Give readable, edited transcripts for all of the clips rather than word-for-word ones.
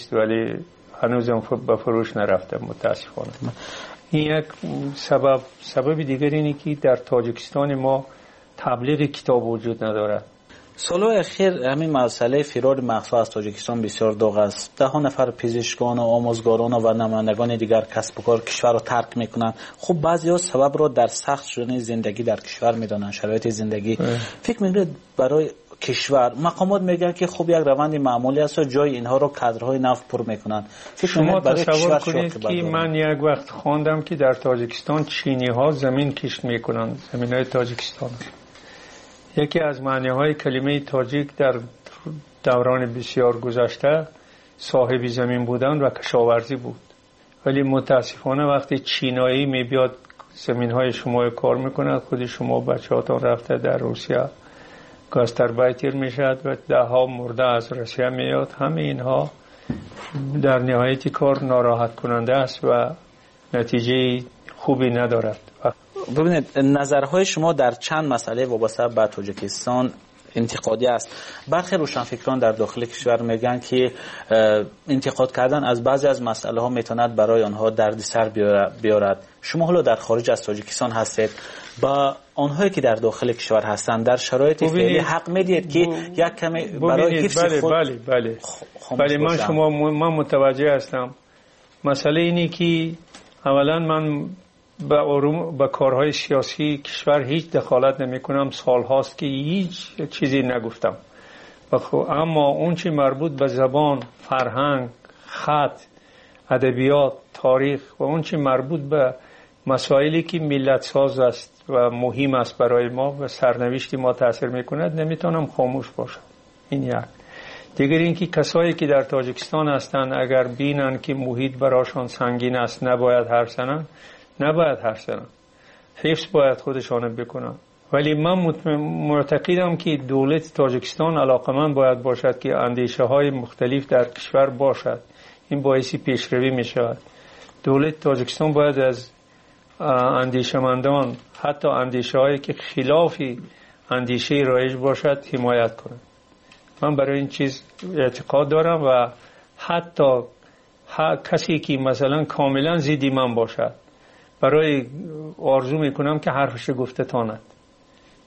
است، ولی هنوزم به فروش نرفته متاسفانه. این یک سبب. سبب دیگر اینه که در تاجیکستان ما تبلیغ کتاب وجود ندارد. Солҳои ахир ҳамин масъалаи фирори мағзҳо аз Тоҷикистон бисёр доғ аст. Даҳҳо нафар пизишкону омӯзгорону ва намояндагони дигар касбу кор кишварро тарк мекунанд. Хуб, баъзеҳо сабабро дар сахт шудани зиндагӣ дар кишвар медонанд, шароити зиндагӣ. Фикр мекунед, барои кишвар мақомот мегӯянд, ки хуб, як раванди маъмулӣ аст ва ҷои инҳоро кадрҳои нав пур мекунанд. Фикр шумо мекунед, барои тасаввур кишвар чӣ کنید оқибат که дорад? من یک وقت خواندم که در تاجیکستان چینی ها زمین کشت میکنند، زمین های تاجیکستان. یکی از معنی های کلمه تاجیک در دوران بسیار گذشته صاحب زمین بودن و کشاورزی بود، ولی متاسفانه وقتی چینایی می بیاد زمین های شما کار میکند، خود شما بچه هاتون رفته در روسیه Gastarbeiter میشد و ده ها مرده از روسیه میاد. همه اینها در نهایت کار ناراحت کننده است و نتیجه خوبی ندارد. ببینید، نظرهای شما در چند مسئله وابسته به تاجیکستان انتقادی است. برخی روشنفکران در داخل کشور میگن که انتقاد کردن از بعضی از مسئله ها میتواند برای آنها دردسر بیارد. شما حالا در خارج از تاجیکستان هستید، با آنهایی که در داخل کشور هستند در شرایط فعلی حق میدید که یک کمی برای حفظ خود بله. خاموش بله، من باشند؟ شما من متوجه هستم. مسئله اینه که اولا من به کارهای سیاسی کشور هیچ دخالت نمی کنم، سال هاست که هیچ چیزی نگفتم. اما اون چی مربوط به زبان، فرهنگ، خط، ادبیات، تاریخ و اون چی مربوط به مسائلی که ملت ساز است و مهم است برای ما و سرنوشت ما تاثیر میکند، نمیتونم خاموش باشم. این یک. دیگر اینکه کسایی که در تاجیکستان هستند اگر بینن که محیط براشان سنگین است، نباید حرف زنن، نباید حرف زنن، حفظ باید خودشان بکنن. ولی من معتقدم که دولت تاجیکستان علاقمند باید باشد که اندیشه های مختلف در کشور باشد. این باعث پیشروی می شود. دولت تاجیکستان باید از اندیشمندان، حتی اندیشه هایی که خلاف اندیشه رایج باشد، حمایت کند. من برای این چیز اعتقاد دارم و حتی کسی که مثلا کاملا ضد من باشد، برای آرزو میکنم که حرفش گفته تاند.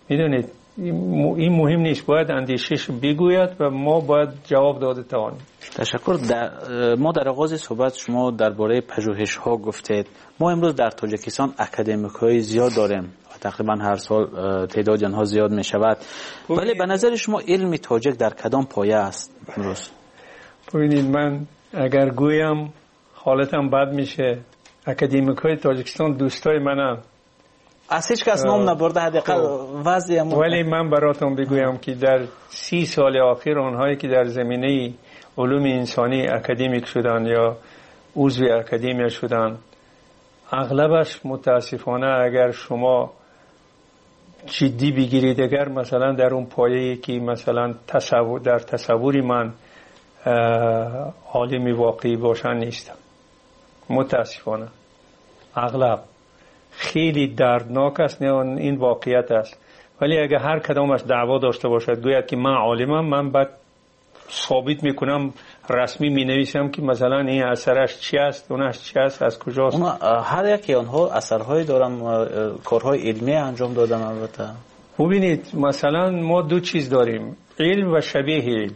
این مهم نیست، باید اندیشش بگوید و ما باید جواب داده توانیم. تشکر. ما در آغاز صحبت شما درباره پژوهش‌ها گفتید. ما امروز در تاجیکستان اکادمیک‌های زیاد داریم و تقریبا هر سال تعداد آنها زیاد می‌شود. ولی به نظر شما علم تاجیک در کدام پایه است امروز؟ من اگر گویم حالتم بد میشه. اکادمیک‌های تاجیکستان دوستای منن. از هیچ کس نام نبرده، حداقل وضع ولی من براتون بگویم که در 30 سال آخر آنهایی که در زمینه علوم انسانی اکادمیک شدن یا عضو اکادمی شدن، اغلبش متاسفانه اگر شما جدی بگیرید، اگر مثلا در اون پایه‌ای که مثلا در تصور من عالم واقعی باشن نیستن. متاسفانه اغلب خیلی دردناک است، نه این واقعیت است. ولی اگر هر کدامش دعوا داشته باشد، گوید که من عالمم، من بعد ثابت میکنم، رسمی مینویسم که مثلا این اثرش چی است، اونش چی است، از کجاست. هر یکی آنها اثرهایی دارن، کارهای علمی انجام دادن. البته ببینید مثلا ما دو چیز داریم، علم و شبیه علم.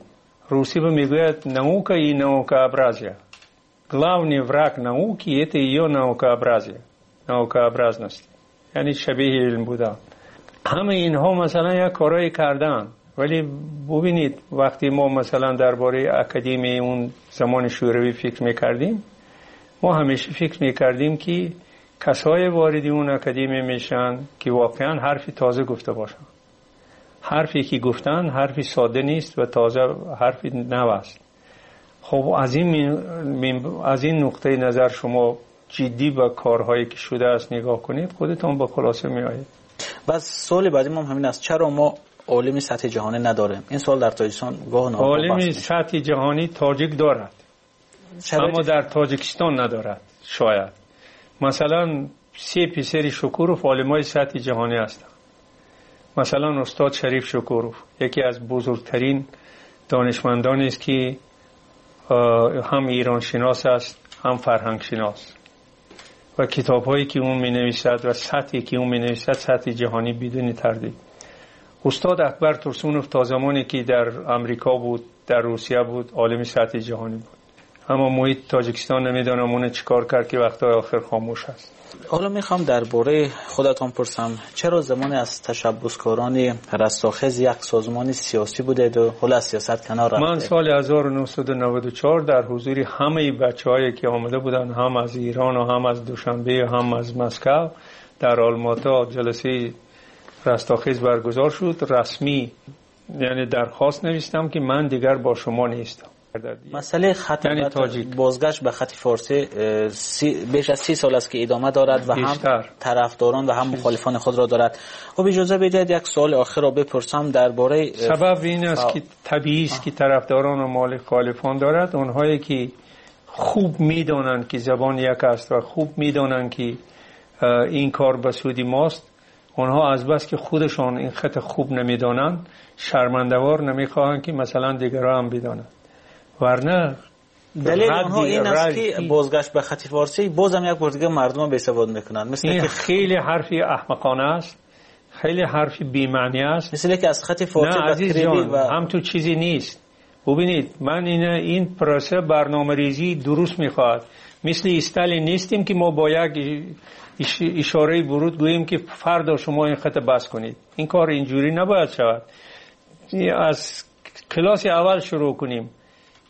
روسی به میگوید наука и наукообразие. Главный враг науки – это ее наукообразие, наукообразность. یعنی شبیه علم بودن. همه اینها مثلا یک کارایی کردن، ولی ببینید وقتی ما مثلا درباره اکادمی اون زمان شوروی فکر میکردیم، ما همیشه فکر میکردیم که کسای وارد اون اکادمی میشن که واقعا حرفی تازه گفته باشن. حرفی که گفتن حرفی ساده نیست و تازه، حرفی نو است. از این نقطه نظر شما جدی به کارهایی که شده است نگاه کنید، خودتان با خلاصه میآیید. بس سوال بعدی ما همین است، چرا ما عالم سطح جهانی نداریم؟ این سوال در تاجیکستان گاه ناگاه عالم بحث میشه. سطح جهانی تاجیک دارد، شرایط اما در تاجیکستان ندارد. شاید مثلا 3 پسر شکوروف عالمای سطح جهانی هستند. مثلا استاد شریف شکوروف یکی از بزرگترین دانشمندانی است که هم ایران شناس است هم فرهنگ شناس و کتاب هایی که اون می نویسد و سطحی که اون می نویسد سطح جهانی بدون تردید. استاد اکبر ترسونوف تا زمانی که در امریکا بود، در روسیه بود، عالم سطح جهانی بود. اما محیط تاجیکستان نمیدانم اون چیکار کرد که وقتهای آخر خاموش است. حالا میخوام درباره خودتان پرسم، چرا زمان از تشبثکاران رستاخیز یک سازمان سیاسی بودید و حالا از سیاست کنار رفتید؟ من سال 1994 در حضور همه بچه‌هایی که آمده بودند، هم از ایران و هم از دوشنبه و هم از مسکو، در آلماتا جلسه رستاخیز برگزار شد. رسمی یعنی درخواست نوشتم که من دیگر با شما نیستم. مسئله خط بازگشت به خط فارسی بیش از 30 سال است که ادامه دارد و هم طرفداران و هم مخالفان خود را دارد. خب اجازه بدهید یک سوال آخر را بپرسم درباره سبب این است که طبیعی است که طرفداران و مخالفان دارد. آنهایی که خوب میدانند که زبان یک است و خوب میدانند که این کار به سود ماست، آنها از بس که خودشان این خط خوب نمیدانند شرمنده‌وار نمیخواهند که مثلا دیگران هم بدانند. ورنه دلیل آنها این است که بازگشت به خط فارسی بازم یک بار دیگه مردم بی‌سواد میکنند. مثل این که خیلی حرفی احمقانه است، خیلی حرفی بی‌معنی است. مثل که از خط فارسی به کریلی و هم تو چیزی نیست. ببینید من این پروسه برنامه‌ریزی درست میخواد. مثل استالین نیستیم که ما با یک اشاره ورود گوییم که فردا شما این خط بس کنید. این کار اینجوری نباید شود. از کلاس اول شروع کنیم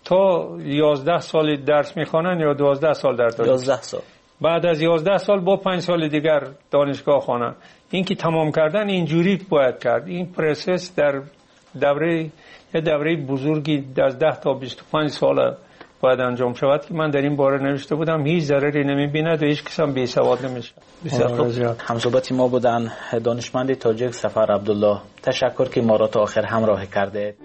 تا 11 سال درس میخوانن یا 12 سال در تاریخ 11 سال، بعد از 11 سال با 5 سال دیگر دانشگاه خوانن. این که تمام کردن اینجوری باید کرد. این پروسس در دوره یه دوره بزرگی از 10 تا 25 سال باید انجام شود که من در این باره نوشته بودم. هیچ ضرری نمیبیند و هیچ کس هم بی‌سواد نمیشه. بسیار خوب. همصحبت ما بودن دانشمند تاجیک سفر عبدالله. تشکر که ما را تا آخر همراه کردید.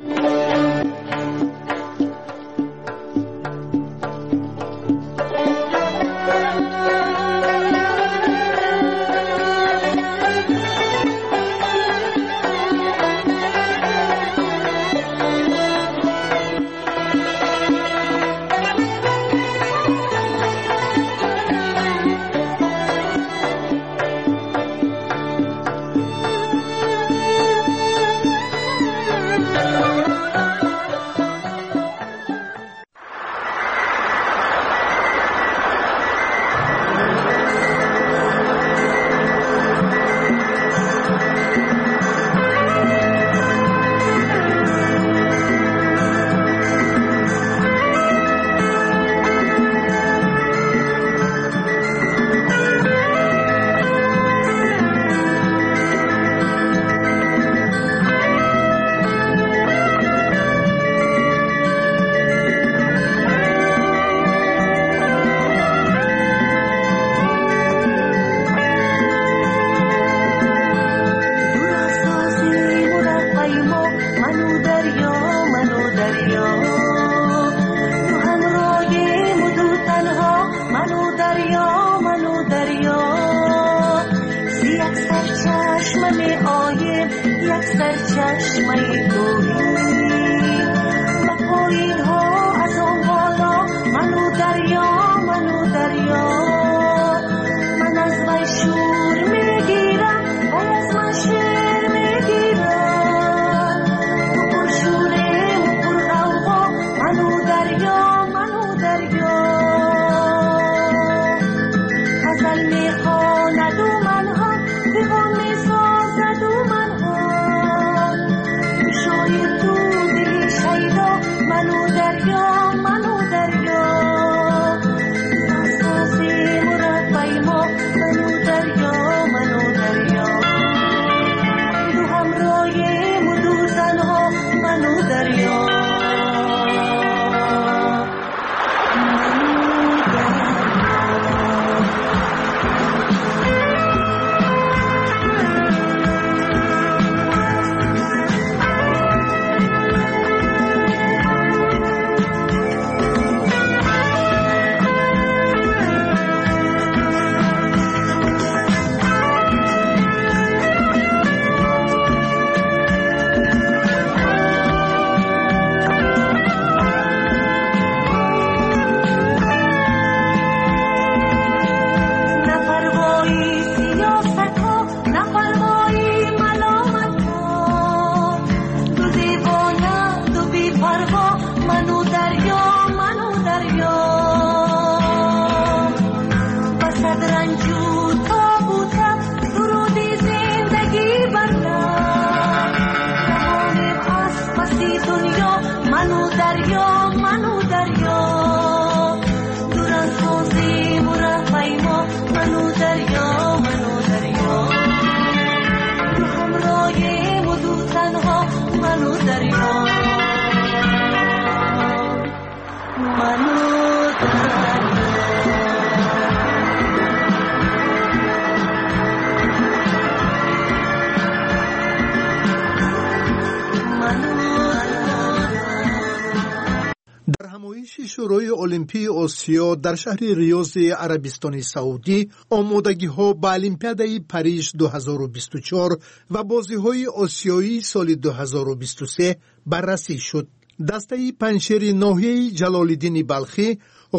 Олимпии Осиё дар шаҳри Риёзи Арабистони Саудӣ, омодагиҳо ба Олимпиадаи Париж 2024 ва бозиҳои осиёии соли 2023 баррасӣ шуд. Дастаи Панҷшери ноҳияи Ҷалолиддини Балхӣ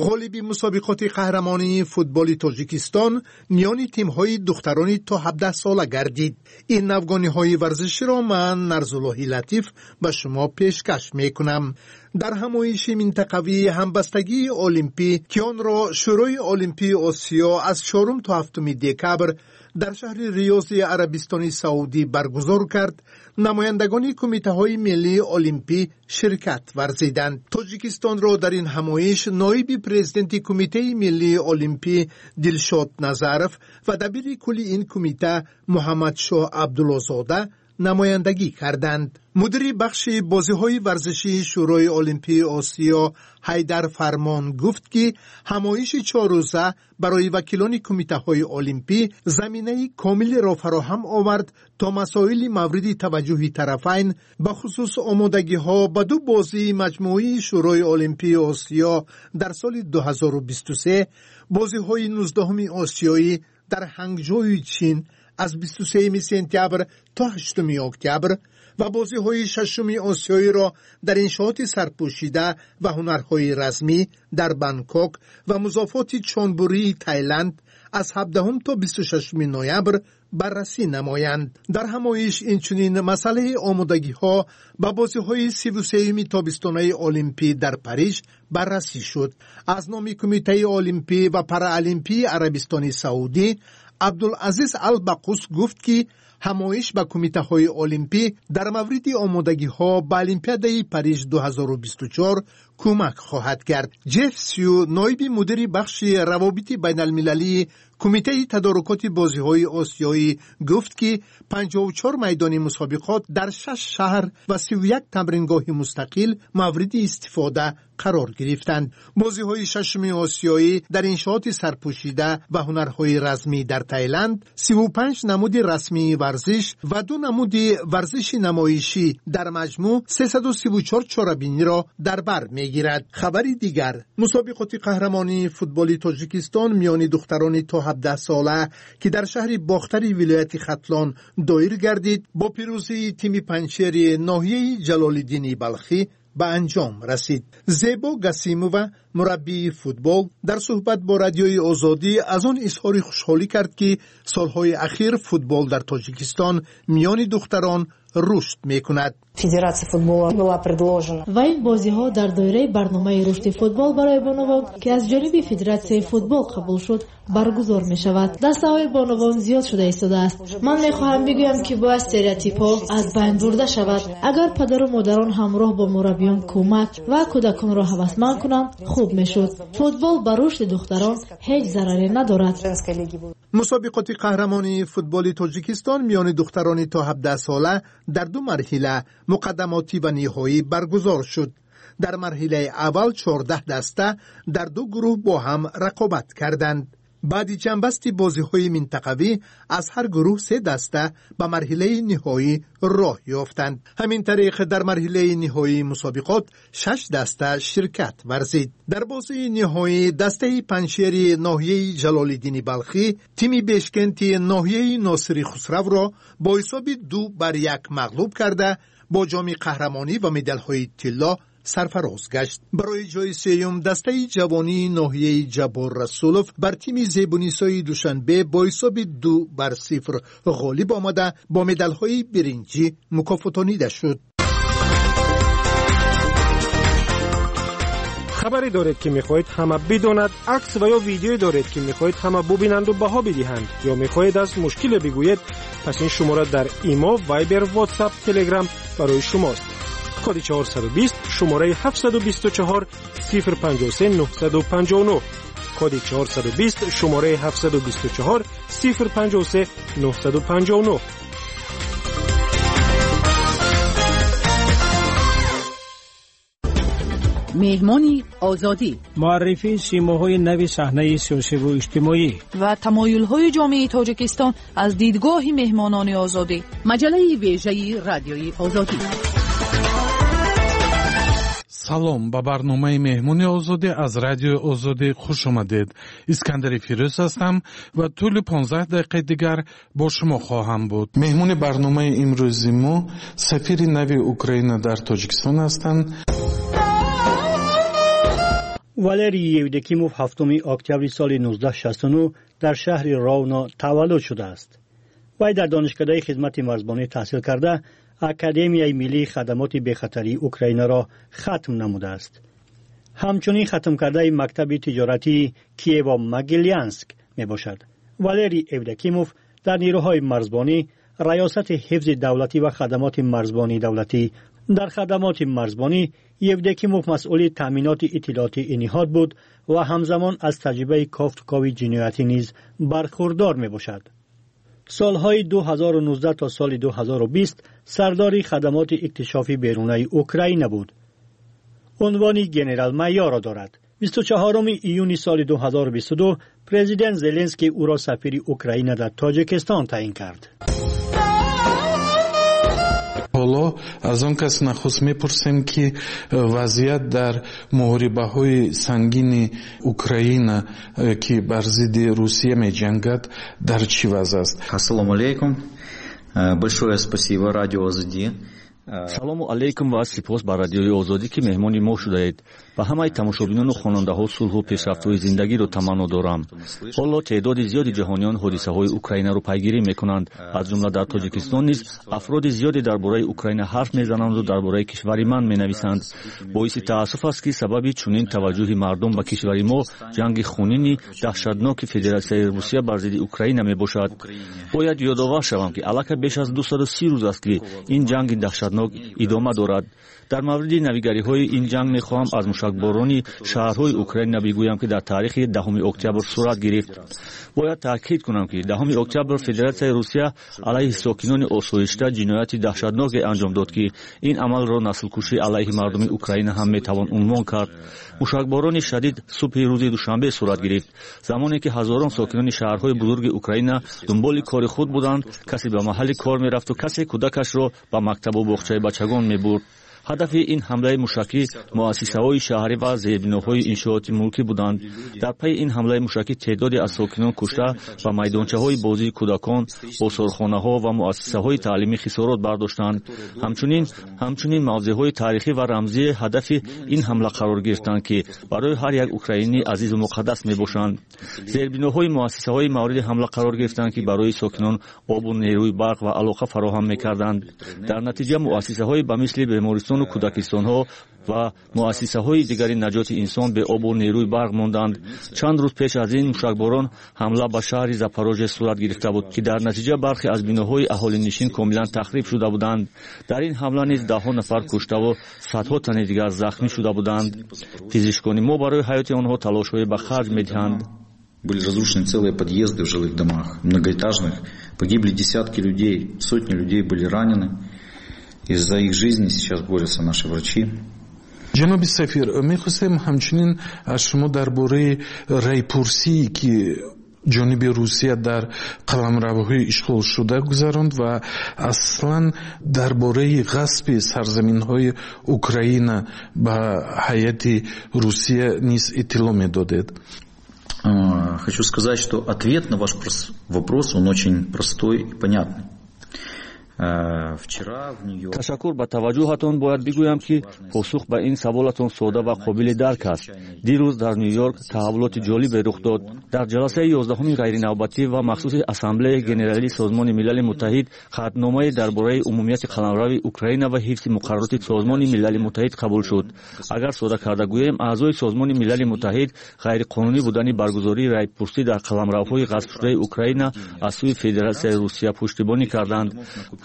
ғолиби мусобиқоти қаҳрамонии футболи Тоҷикистон миёни тимҳои духтарони то 17 сола гардид. Ин навгониҳои варзиширо ман, Нарзуллоҳи Латиф, ба шумо пешкаш мекунам. Дар ҳамоиши минтақавии ҳамбастагии олимпӣ, ки онро Шӯрои Олимпии Осиё аз 4 то 7 декабр дар шаҳри Риёзи Арабистони Саудӣ баргузор кард, намояндагони кумитаҳои миллии олимпӣ ширкат варзиданд. Тоҷикистонро дар ин ҳамоиш ноиби президенти Кумитаи миллии олимпӣ Дилшод Назаров ва дабири кулли ин кумита Муҳаммадшоҳ Абдуллозода намояндагӣ карданд. Мудири бахши бозиҳои варзишии Шӯрои Олимпии Осиё Ҳайдар Фармон гуфт, ки ҳамоиши чоррӯза барои вакилони кумитаҳои олимпӣ заминаи комилеро фароҳам овард, то масоили мавриди таваҷҷӯҳи тарафайн, бахусус омодагиҳо ба ду бозии маҷмӯии Шӯрои Олимпии Осиё дар соли 2023, бозиҳои 19-уми осиёӣ дар Ҳангҷои Чин аз 23 сентябр то 8 октябр ва бозиҳои шашуми осиёиро дар иншооти сарпӯшида ва ҳунарҳои размӣ дар Бангкок ва музофоти Чонбурии Тайланд аз 17 то 26 ноябр баррасӣ намоянд. Дар ҳамоиш инчунин масъалаи омодагиҳо ба бозиҳои 33-юми тобистонаи олимпӣ дар Париж баррасӣ шуд. Аз номи Кумитаи олимпӣ ва параолимпии Арабистони Саудӣ Абдулазиз Албақус гуфт, ки ҳамоиш ба кумитаҳои олимпӣ дар мавриди омодагиҳо ба Олимпиадаи Париж 2024 кӯмак хоҳад кард. Ҷеф Сю, ноиби мудири бахши равобити байналмилалии Кумитаи тадорукоти бозиҳои осиёӣ, гуфт, ки 54 майдони мусобиқот дар шаш шаҳр ва 31 тамрингоҳи мустақил мавриди истифода қарор гирифтанд. Бозиҳои шашуми осиёӣ дар иншооти сарпӯшида ва ҳунарҳои размӣ дар Тайланд 35 намуди расмии варзиш ва ду намуди варзиши намоишӣ, дар маҷмӯъ 334 чорабиниро дар бар мегирад. Хабари дигар: мусобиқоти қаҳрамонии футболи Тоҷикистон миёни духтарони то 17 сола, ки дар шаҳри Бохтари вилояти Хатлон доир гардид, бо пирӯзии тими Панҷшери ноҳияи Ҷалолиддини Балхӣ ба анҷом расид. Зебо Гасимова, мураббии футбол, дар суҳбат бо Радиои Озодӣ аз он изҳори хушҳолӣ кард, ки солҳои ахир футбол дар Тоҷикистон миёни духтарон рушд мекунад. Федерация футбола была предложена. Ва ин бозиҳо дар доираи барномаи рушди футбол барои бонувон, ки аз ҷониби Федератсияи футбол қабул шуд, баргузор мешавад. Дастаҳои бонувон зиёд шуда истодааст. Ман мехоҳам бигӯям, ки бояд стереотипҳо аз байн бурда шавад. Агар падару модарон ҳамроҳ бо мураббиён кӯмак ва кӯдаконро ҳавасманд кунанд, хуб мешуд. Футбол ба рушди духтарон ҳеҷ зараре надорад. Мусобиқоти қаҳрамонии футболи Тоҷикистон миёни духтарони то 17 сола дар ду марҳила, муқаддамотӣ ва ниҳоӣ, баргузор шуд. Дар марҳилаи аввал 14 даста дар ду гурӯҳ бо ҳам рақобат карданд. Баъди ҷамъбасти бозиҳои минтақавӣ аз ҳар гурӯҳ се даста ба марҳилаи ниҳоӣ роҳ ёфтанд. Ҳамин тариқ, дар марҳилаи ниҳоии мусобиқот шаш даста ширкат варзид. Дар бозии ниҳоӣ дастаи Панҷшери ноҳияи Ҷалолиддини Балхӣ тими Бешкенти ноҳияи Носири Хусравро бо ҳисоби 2-1 мағлуб карда, бо ҷоми қаҳрамонӣ ва медалҳои тилло сарфароз гашт. Барои ҷои сеюм дастаи ҷавонии ноҳияи Ҷаббор Расулов бар тими Зебунисои Душанбе бо ҳисоби 2-0 ғолиб омада, бо медалҳои биринҷӣ мукофотонида шуд. Хабаре доред, ки мехоҳед ҳама бидонад, акс ва ё видеое доред, ки мехоҳед ҳама бубинанду баҳо бидиҳанд, ё мехоҳед аз мушкиле бигӯед, пас ин шумора дар Имо, Вайбер, Ватсап, Телеграм барои шумост. Коди 420, шумораи 724 053 959. Коди 420, шумораи 724 053 959. Меҳмони Озодӣ. Муаррифии симоҳои нави саҳнаи сиёсиву иҷтимоӣ ва тамоюлҳои ҷомеаи Тоҷикистон аз дидгоҳи меҳмонони Озодӣ. Маҷаллаи вежаи Радиои Озодӣ. Салом, ба барномаи Меҳмони Озодӣ аз Радиои Озодӣ хуш омадед. Искандари Фирӯз ҳастам ва тӯли 15 дақиқаи дигар бо шумо хоҳам буд. Меҳмони барномаи имрӯзи мо сафири нави Украина дар Тоҷикистон ҳастанд. Валерий Евдокимов 7 октябри соли 1969 дар шаҳри Ровно таваллуд шудааст. Вай дар Донишкадаи хизмати марзбонӣ таҳсил карда, Академияи миллии хадамоти бехатарии Украинаро хатм намудааст. Ҳамчунин хатмкардаи мактаби тиҷоратии Киево-Могилянск мебошад. Валерий Евдокимов дар нерӯҳои марзбонӣ, Раёсати ҳифзи давлатӣ ва хадамоти марзбонии давлатӣ. Дар хадамоти марзбонӣ Евдокимов масъули таъминоти иттилоотии ин ниҳод буд ва ҳамзамон аз таҷрибаи кофтукови ҷиноятӣ низ бархурдор мебошад. Солҳои 2019 то соли 2020 сардори хадамоти иктишофи берунаи Украина буд. Унвони генерал-майорро дорад. 24 июни соли 2022 президент Зеленский ӯро сафири Украина дар Тоҷикистон таъин кард. Ҳоло аз он кас нахуст мепурсем, ки вазъият дар муҳорибаҳои сангини Украина, ки бар зидди Русия меҷангад, дар чӣ вазъ аст. Ассалому алейкум. Большое спасибо радио Озоди. Салому алейкум ва сипос ба Радиои Озодӣ, ки меҳмони мо шудаед. Ба ҳамаи тамошобинону хонандаҳо сулҳу пешрафтҳои зиндагиро таманно дорам. Ҳоло теъдоди зиёди ҷаҳониён ҳодисаҳои Украинаро пайгирӣ мекунанд. Аз ҷумла дар Тоҷикистон низ афроди зиёде дар бораи Украина ҳарф мезананду дар бораи кишвари ман менависанд. Боиси таассуф аст, ки сабаби чунин таваҷҷӯҳи мардум ба кишвари мо ҷанги хунини даҳшатноки Федератсияи Русия бар зидди Украина мебошад. Бояд ёдовар шавам, ки аллакай беш аз 230 рӯз аст, ки ин ҷанги даҳшатнок идома дорад. Дар мавриди навигариҳои ин ҷанг мехоҳам аз мушакборони шаҳрҳои Украина бигӯям, ки дар таърихи 10 октябр сурат гирифт. Бояд таъкид кунам, ки 10 октябр Федератсияи Русия алайҳи сокинони осоишта ҷинояти даҳшатноке анҷом дод, ки ин амалро наслкушӣ алайҳи мардуми Украина ҳам метавон унвон кард. Мушакборони шадид субҳи рӯзи душанбе сурат гирифт, замоне ки ҳазорон сокинони шаҳрҳои бузурги Украина дунболи кори худ буданд. Касе ба маҳалли кор мерафту касе кӯдакашро ба мактабу боғчаи бачагон мебурд. Ҳадафи ин ҳамлаи мушакӣ муассисаҳои шаҳрӣ ва зербиноҳои иншооти мулкӣ буданд. Дар пайи ин ҳамлаи мушакӣ теъдоде аз сокинон кушта ва майдончаҳои бозии кӯдакон, осорхонаҳо ва муассисаҳои таълимӣ хисорот бардоштанд. Ҳамчунин мавзеъҳои таърихӣ ва рамзии ҳадафи ин ҳамла қарор гирифтанд, ки барои ҳар як украинӣ азизу муқаддас мебошанд. Зербиноҳои муассисаҳои мавриди ҳамла қарор гирифтанд, ки барои сокинон обу нерӯи барқ ва алоқа фароҳам мекарданд. Дар натиҷа муассисаҳои ба мисли бемористон, кӯдакистонҳо ва муассисаҳои дигари наҷоти инсон беобу нерӯи барқ монданд. Чанд рӯз пеш аз ин мушакборон ҳамла ба шаҳри Запорожье сурат гирифта буд, ки дар натиҷа бархе аз биноҳои аҳолинишин комилан тахриб шуда буданд. Дар ин ҳамла низ даҳҳо нафар куштаву садҳо тани дигар захмӣ шуда буданд. Пизишкони мо барои ҳаёти онҳо талошҳое ба харҷ медиҳанд. Были разрушены целые подъезды в жилых домах, многоэтажных. Погибли десятки людей, сотни людей были ранены. И за их жизни сейчас борются наши врачи. Ҷаноби сафир, мехостем ҳамчунин аз шумо дар бораи райпурсие, ки ҷониби Русия дар қаламравҳои ишғолшуда гузаронд, ва аслан дар бораи ғасби сарзаминҳои Украина ба ҳайати Русия низ иттилоъ медодед. Хочу сказать, что ответ на ваш вопрос, он очень простой и понятный. Ташаккур ба таваҷҷӯҳатон. Бояд бигӯям, ки посух ба ин саволатон сода ва қобили дарк аст. Дирӯз дар Ню-Йорк таҳаввулоти ҷолибе рух дод. Дар ҷаласаи 11-уми ғайринавбатӣ ва махсуси Ассамблеяи Генералии Созмони Милали Муттаҳид қатъномае дар бораи умумияти қаламрави Украина ва ҳифзи муқаррароти Созмони Милали Муттаҳид қабул шуд. Агар сода карда гӯем, аъзои Созмони Милали Муттаҳид ғайриқонунӣ будани баргузории райпурсӣ дар қаламравҳои ғасбшудаи Украина аз сӯи Федератсияи Русия пуштибонӣ карданд.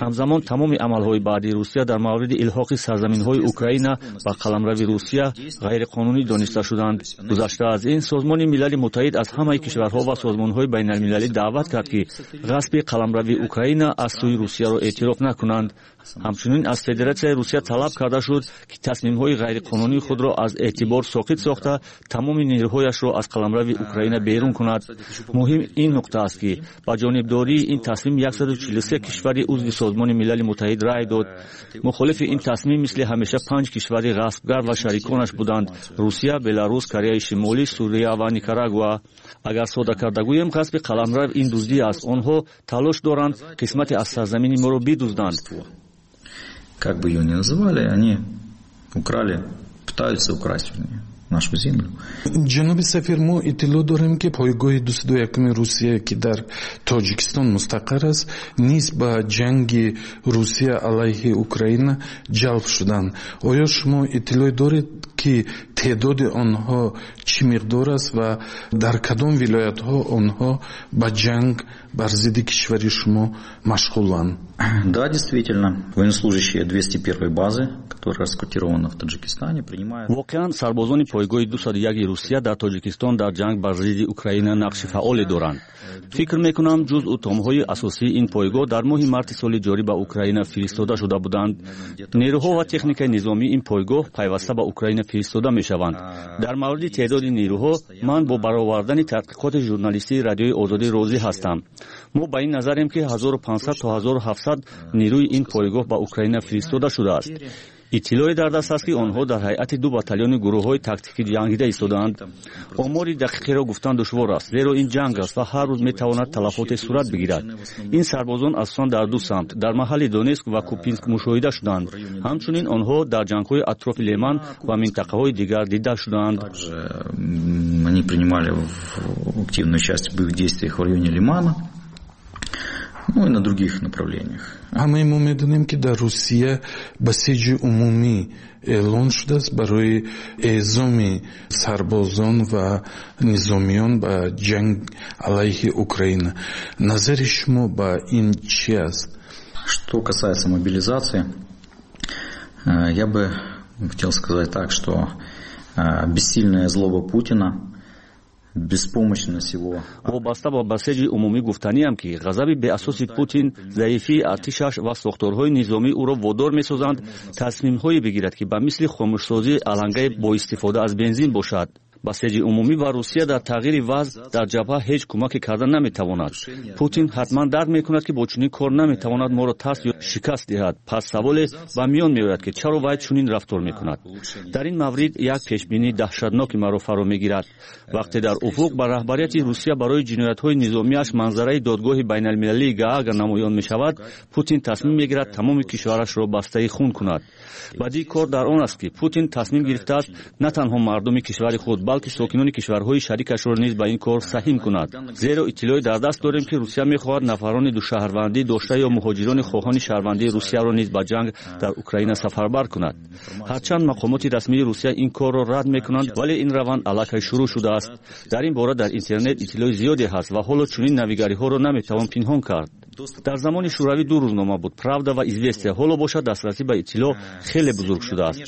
Ҳамзамон тамоми амалҳои баъдии Русия дар мавриди илҳоқи сарзаминҳои Украина ба қаламрави Русия ғайриқонунӣ дониста шуданд. Гузашта аз ин, Созмони Милали Муттаҳид аз ҳамаи кишварҳо ва созмонҳои байналмилалӣ даъват кард, ки ғасби қаламрави Украина аз сӯи Русияро эътироф накунанд. Ҳамчунин аз Федератсияи Русия талаб карда шуд, ки тасмимҳои ғайриқонунии худро аз эътибор соқит сохта, тамоми нерӯҳояшро аз қаламрави Украина берун кунад. Муҳим ин нуқта аст, ки ба ҷонибдории ин тасмим 143 кишвари узви Созмони Милали Муттаҳид рай дод. Мухолифи ин тасмим мисли ҳамеша панҷ кишвари ғасбгар ва шариконаш буданд: Русия, Беларус, Кореяи Шимолӣ, Сурия ва Никарагуа. Агар сода карда гӯем, ғасби қаламрав ин дуздӣ аст. Онҳо талош доранд қисмате аз сарзамини моро бидузданд. Как бы её ни называли, они украли, пытаются украсть, вернее, нашу землю. Ҷаноби сафир, мо иттилоъ дорем, ки пойгоҳи 201-уми Русия, ки дар Тоҷикистон мустақар аст, низ ба ҷанги Русия алайҳи Украина ҷалб шуданд. Оё шумо иттилоъ доред, ки теъдоди онҳо чӣ миқдор аст ва дар кадом вилоятҳо онҳо ба ҷанг бар зидди кишвари шумо машғуланд? Да, действительно, военнослужащие 201-й базы, которая расквартирована в Таджикистане, принимают. Воқеан, сарбозони пойгоҳи 201 Русия дар Тоҷикистон дар ҷанг бар зидди Украина нақши фаъоле доранд. Фикр мекунам, ҷузъу томҳои асосии ин пойгоҳ дар моҳи марти соли ҷорӣ ба Украина фиристода шуда буданд. Нерӯҳо ва техникаи низомии ин пойгоҳ пайваста ба Украина фиристода мешаванд. Дар мавриди теъдоди нерӯҳо ман бо баровардани тадқиқоти журналистии Радиои Озодӣ розӣ ҳастам. Мо ба ин назарем, ки 1500 то 1700 нерӯи ин пойгоҳ ба Украина фиристода шудааст. Иттилоъе дар даст аст, ки онҳо дар ҳайати ду батальони гурӯҳҳои тактикӣ ҷангида истодаанд. Омори дақиқеро гуфтан душвор аст, зеро ин ҷанг аст ва ҳар рӯз метавонад талафоте сурат бигирад. Ин сарбозон асосан дар ду самт, дар маҳалли Донецк ва Купянск, мушоҳида шуданд. Ҳамчунин онҳо дар ҷангҳои атрофи Леман ва минтақаҳои дигар дида шудаанд. Они принимали активное участие в боевых действиях в районе Лимана, ну и на других направлениях. Ҳамаи мо медонем, ки дар Русия басиҷи умумӣ эълон шудааст барои эъзоми сарбозон ва низомиён ба ҷанг алайҳи Украина. Назари шумо ба ин чӣ аст? Что касается мобилизации, я бы хотел сказать так, что бессильная злоба Путина, беспомощность его. Вобаста ба басеҷи умумӣ гуфтаниам, ки ғазаби беасоси Путин, заифии артишаш ва сохторҳои низомӣ ӯро водор месозанд тасмимҳое бигирад, ки ба мисли хомӯшсозии алангаи бо истифода аз бензин бошад. Басеҷи умумӣ ба Русия дар тағйири вазъ дар ҷабҳа ҳеҷ кӯмаке карда наметавонад. Путин ҳатман дарк мекунад, ки бо чунин кор наметавонад моро тарс ё шикаст диҳад. Пас саволе ба миён меояд, ки чаро вай чунин рафтор мекунад. Дар ин маврид як пешбинии даҳшатноки маро фаро мегирад. Вақте дар уфуқ ба раҳбарияти Русия барои ҷиноятҳои низомиаш манзараи Додгоҳи байналмилалии Гаага намоён мешавад, Путин тасмим мегирад тамоми кишварашро бастаи хун кунад. Бадии кор дар он аст, ки Путин тасмим гирифтааст на танҳо мардуми кишвари худ, балки сокинони кишварҳои шарикашро низ ба ин кор саҳим кунад, зеро иттилоъе дар даст дорем, ки Русия мехоҳад нафарони душаҳрвандӣ дошта ё муҳоҷирони хоҳони шаҳрвандии Русияро низ ба ҷанг дар Украина сафарбар кунад. Ҳарчанд мақомоти расмии Русия ин корро рад мекунанд, вале ин раванд аллакай шурӯъ шудааст. Дар ин бора дар интернет иттилои зиёде ҳаст ва ҳоло чунин навигариҳоро наметавон пинҳон кард. Дар замони Шӯравӣ ду рӯзнома буд: Правда ва Известия. Ҳоло бошад, дастрасӣ ба иттилоъ хеле бузург шудааст.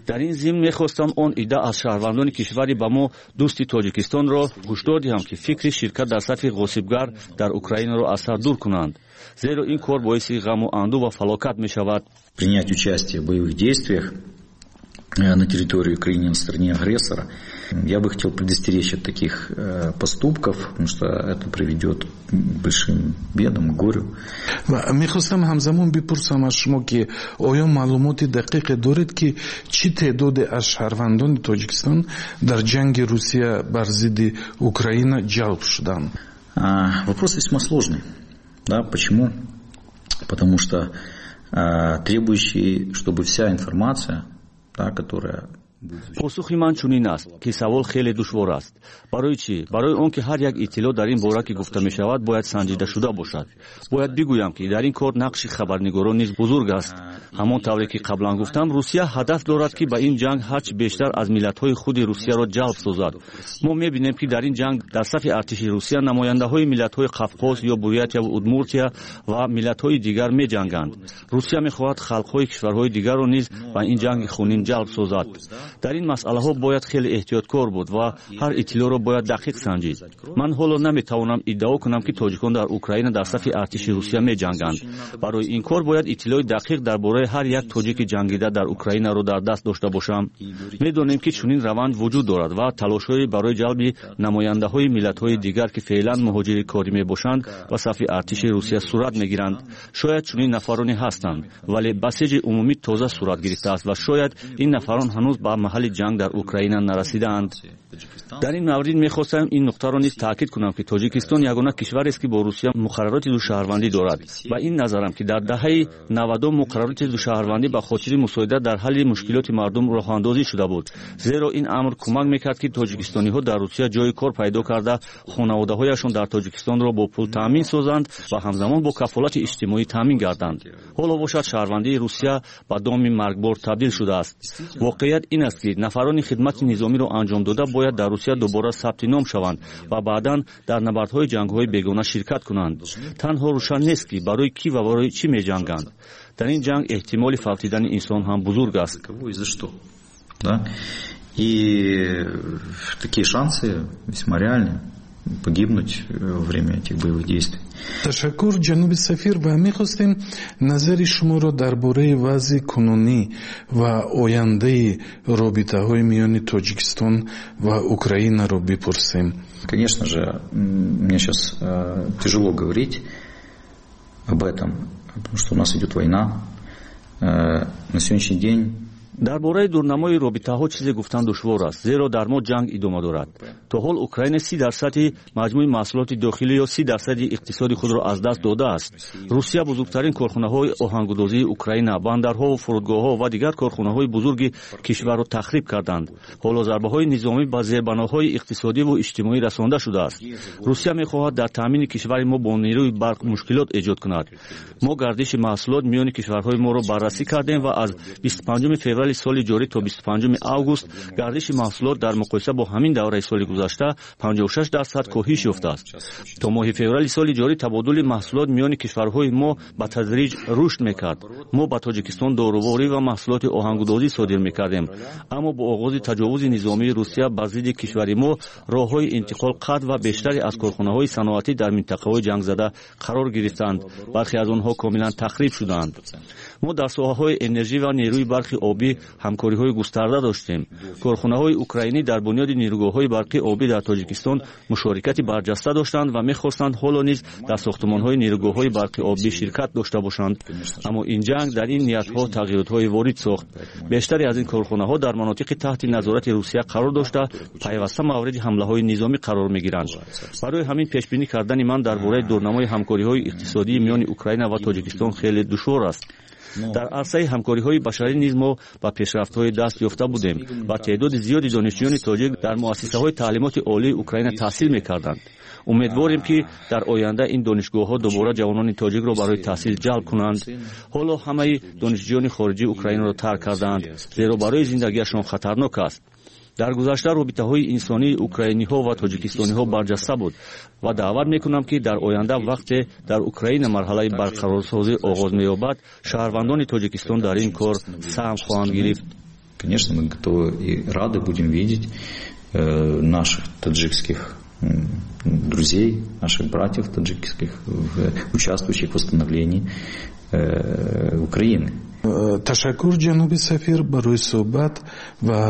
Дар ин зимн мехостам он идда аз шаҳрвандони кишвари ба мо дӯсти Тоҷикистонро ҳушдор диҳам, ки фикри ширкат дар сафи ғосибгар дар Украинаро аз сар дур кунанд, зеро ин кор боиси ғаму андӯ ва фалокат мешавад. Принять участие в боевых действиях на территории Украины на стороне агрессора. Я бы хотел предостеречь от таких поступков, потому что это приведет к большим бедам, к горю. Мехостам ҳамзамон бипурсам аз шумо, ки оё маълумоти дақиқе доред, ки чӣ теъдоде аз шаҳрвандони Тоҷикистон дар ҷанги Русия бар зидди Украина ҷалб шуданд? Вопрос весьма сложный. Да, почему? Потому что требующий, чтобы вся информация, да, которая Посухи ман чунин аст, ки савол хеле душвор аст. Барои чӣ? Барои он ки ҳар як иттилоъ дар ин бора, ки гуфта мешавад, бояд санҷида шуда бошад. Бояд бигӯям, ки дар ин кор нақши хабарнигорон низ бузург аст. Ҳамон тавре ки қаблан гуфтам, Русия ҳадаф дорад, ки ба ин ҷанг ҳарчи бештар аз миллатҳои худи Русияро ҷалб созад. Мо мебинем, ки дар ин ҷанг дар сафи артиши Русия намояндаҳои миллатҳои Қавқоз ё Бурятия Удмуртия ва миллатҳои дигар меҷанганд. Русия мехоҳад халқҳои кишварҳои дигарро низ ба ин ҷанги хунин ҷалб созад. Дар ин масъалаҳо бояд хеле эҳтиёткор буд ва ҳар иттилоъро бояд дақиқ санҷид. Ман ҳоло наметавонам иддао кунам, ки тоҷикон дар Украина дар сафи артиши Русия меҷанганд. Барои ин кор бояд иттилои дақиқ дар бораи ҳар як тоҷики ҷангида дар Украинаро дар даст дошта бошам. Медонем, ки чунин раванд вуҷуд дорад ва талошҳое барои ҷалби намояндаҳои миллатҳои дигар, ки феълан муҳоҷири корӣ мебошанд, ба сафи артиши Русия сурат мегиранд. Шояд чунин нафароне ҳастанд, вале басиҷи умумӣ тоза сурат гирифтааст ва шояд ин нафарон ҳанӯз ба маҳалли ҷанг дар Украина нарасидаанд. Дар ин маврид мехостам ин нуқтаро низ таъкид кунам, ки Тоҷикистон ягона кишварест, ки бо Русия муқаррароти душаҳрвандӣ дорад. Ба ин назарам, ки дар даҳаи 90-ум муқаррароти душаҳрвандӣ ба хотири мусоидат дар ҳалли мушкилоти мардум роҳандозӣ шуда буд, зеро ин амр кӯмак мекард, ки тоҷикистониҳо дар Русия ҷои кор пайдо карда, хонаводаҳояшон дар Тоҷикистонро бо пул таъмин созанд ва ҳамзамон бо кафолати иҷтимоӣ таъмин гарданд. Ҳоло бошад, шаҳрвандии Русия ба доми маргбор табдил шудааст. Воқеият ин аст, ки нафарони хидмати низомиро анҷом дода бояд дар Русия дубора сабти ном шаванд ва баъдан дар набардҳои ҷангҳои бегона ширкат кунанд. Танҳо рӯшан нест, ки барои кӣ ва барои чӣ меҷанганд. Дар ин ҷанг эҳтимоли фавтидани инсон ҳам бузург аст. И такие шансы весьма реальны погибнуть во время этих боевых действий. Ташаккур, ҷаноби сафир, ва мехостем назари шуморо дар бораи вазъи кунунӣ ва ояндаи робитаҳои миёни Тоҷикистон ва Украинаро бипурсем. Конечно же, мне сейчас тяжело говорить об этом, потому что у нас идет война. На сегодняшний день Дар бораи дурнамои робитаҳо чизе гуфтан душвор аст, зеро дар мо ҷанг идома дорад. То ҳол Украина 30 дарсади маҷмӯи маҳсулоти дохилӣ ё 30 дарсади иқтисоди худро аз даст додааст. Русия бузургтарин корхонаҳои оҳангудозии Украина, бандарҳову фурудгоҳҳо ва дигар корхонаҳои бузурги кишварро тахриб карданд. Ҳоло зарбаҳои низомӣ ба зербаноҳои иқтисодиву иҷтимоӣ расонда шудааст. Русия мехоҳад дар таъмини кишвари мо бо нерӯи барқ мушкилот эҷод кунад. Мо гардиши маҳсулот миёни кишварҳои моро баррасӣ кардем ва аз 25 феврали соли ҷорӣ то 25 август гардиши маҳсулот дар муқоиса бо ҳамин давраи соли гузашта 56% коҳиш ёфтааст. То моҳи феврали соли ҷорӣ табодули маҳсулот миёни кишварҳои мо ба тадриҷ рушд мекард. Мо ба Тоҷикистон доруворӣ ва маҳсулоти оҳангудозӣ содир мекардем, аммо бо оғози таҷовузи низомии Русия бар зидди кишвари мо роҳҳои интиқол қатъ ва бештаре аз корхонаҳои саноатӣ дар минтақаҳои ҷангзада қарор гирифтанд. Бархе аз онҳо комилан тахриб шуданд. Мо дар соҳаҳои энержӣ ва нерӯи барқи обӣ ҳамкориҳои густарда доштем. Корхонаҳои украинӣ дар бунёди нерӯгоҳҳои барқи обӣ дар Тоҷикистон мушорикати барҷаста доштанд ва мехостанд ҳоло низ дар сохтумонҳои нерӯгоҳҳои барқи обӣ ширкат дошта бошанд, аммо ин ҷанг дар ин ниятҳо тағйиротҳое ворид сохт. Бештаре аз ин корхонаҳо дар манотиқи таҳти назорати Русия қарор дошта, пайваста мавриди ҳамлаҳои низомӣ қарор мегиранд. Барои ҳамин пешбинӣ кардани ман дар бораи дурнамои ҳамкориҳои иқтисодии миёни Украина ва Тоҷикистон хеле душвор аст. Дар арсаи ҳамкориҳои башарӣ низ мо ба пешрафтҳое даст ёфта будем ва теъдоди зиёди донишҷӯёни тоҷик дар муассисаҳои таълимоти олии Украина таҳсил мекарданд. Умедворем, ки дар оянда ин донишгоҳҳо дубора ҷавонони тоҷикро барои таҳсил ҷалб кунанд. Ҳоло ҳамаи донишҷӯёни хориҷӣ Украинаро тарк кардаанд, зеро барои зиндагиашон хатарнок аст. Дар гузашта робитаҳои инсонии украиниҳо ва тоҷикистониҳо барҷаста буд ва даъват мекунам, ки дар оянда, вақте дар Украина марҳалаи барқарорсозӣ оғоз меёбад, шаҳрвандони Тоҷикистон дар ин кор саҳм хоҳанд гирифт. Конечно, мы готовы и рады будем видеть наших таджикских друзей, наших братьев таджикских, участвующих в восстановлении Украины. Ташаккур, ҷаноби сафир, барои суҳбат ва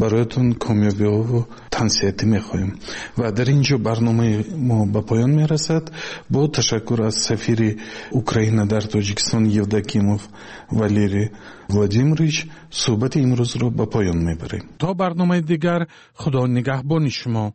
бароятон комёбиҳову тансиҳатӣ мехоҳем. Ва дар ин ҷо барномаи мо ба поён мерасад. Бо ташаккур аз сафири Украина дар Тоҷикистон Евдокимов Валерий Владимирович суҳбати имрӯзро ба поён мебарем. То барномаи дигар Худо нигаҳбони шумо.